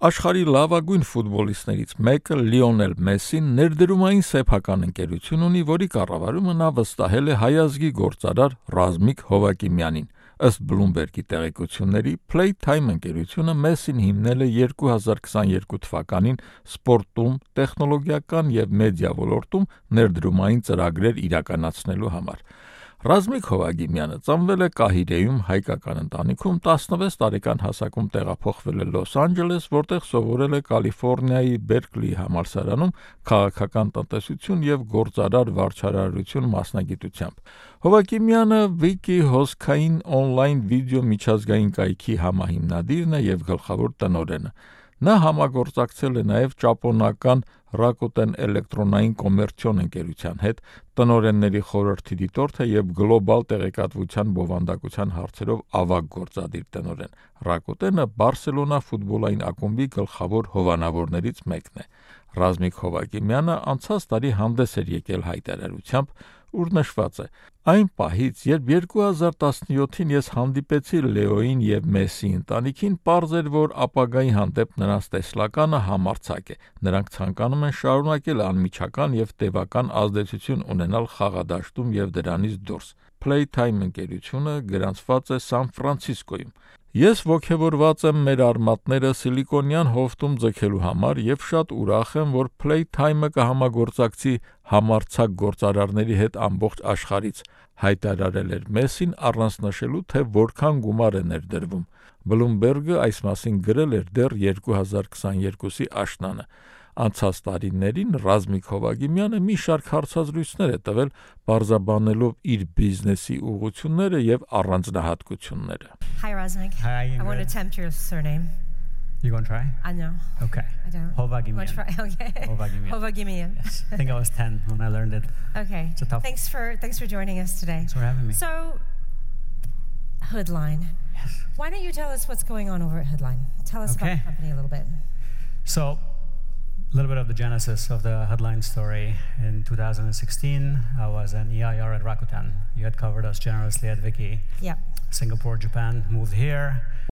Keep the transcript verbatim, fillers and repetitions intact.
Աշխարհի լավագույն ֆուտբոլիստներից մեկը Լիոնել Մեսսին ներդրումային սեփական ընկերություն ունի, որի կառավարումը նա վստահել է հայ ազգի գործարար Ռազմիկ Հովակիմյանին։ Ըստ Bloomberg-ի տեղեկությունների, Playtime ընկերությունը Մեսսին հիմնել է երկու հազար քսաներկու թվականին սպորտում, տեխնոլոգիական և մեդիա ոլորտում ներդրումային ծրագրեր իրականացնելու համար։ Ռազմիկ Հովակիմյանը ծնվել է Կահիրեում հայկական ընտանիքում, տասնվեց տարեկան հասակում տեղափոխվել է Լոս Անջելես, որտեղ սովորել է Կալիֆոռնիայի Բերկլիի համալսարանում քաղաքական տնտեսություն և գործարար վարչարարություն մասնագիտությամբ։ Հովակիմյանը Վիկի հոսքային օնլայն վիդեո միջազգային կայքի համահիմնադիրն է և գլխավոր տնօրենը։ Նա համագործակցել է նաև ճապոնական Rakuten էլեկտրոնային կոմերցիոն ընկերության հետ, տնօրենների խորհրդի դիտորդ է և գլոբալ տեղեկատվության բովանդակության հարցերով ավագ գործադիր տնօրեն։ Rakuten-ը Բարսելոնա ֆուտբոլային ակումբի գլխավոր հովանավորներից մեկն է։ Ռազմիկ Հովակիմյանը անցած տարի հանդես էր եկել հայտարարությամբ, ուր նշված է. «Այն պահից, երբ երկու հազար տասնյոթին ես հանդիպեցի Լեոյին և Մեսսի ընտանիքին, պարզ էր, որ ապագայի հանդեպ նրանց տեսլականը համարձակ է։ Նրանք ցանկանում են շարունակել անմիջական և տևական ազդեցություն ունենալ խաղադաշտում և դրանից դուրս։ Playtime ընկերությունը գրանցված է Սան Ֆրանցիսկոյում։ Ես ոգևորված եմ մեր արմատները Սիլիկոնյան հովտում ձգելու համար և շատ ուրախ եմ, որ Playtime-ը կհամագործակցի համարձակ գործարարների հետ ամբողջ աշխարհից», հայտարարել էր Մեսսին առանց նշելու, թե որքան գումար է ներդրվում։ Bloomberg-ը այս մասին գրել էր դեռ երկու հազար քսաներկուի աշնանը։ Անցած տարիներին Ռազմիկ Հովակիմյանը մի շարք հարցազրույցներ է տվել, պարզաբանելով իր բիզնեսի ուղղությունները և առանձնահատկությունները։ Hi Razmik. Hi, I want to Ingrid. attempt your surname. You gonna try? I know. Okay. I don't. Hovagimian. Want to try? Okay. Hovagimian. Hovagimian. Yes. I think I was ten when I learned it. Okay. It's a tough- Thanks for thanks for joining us today. Thanks for having me. So, Hoodline. Yes. Why don't you tell us what's going on over at Hoodline? Tell us about Okay. the company a little bit. So, a little bit of the genesis of the headline story. In two thousand sixteen, I was an E I R at Rakuten. You had covered us generously at Viki. Yep. Singapore, Japan, moved here.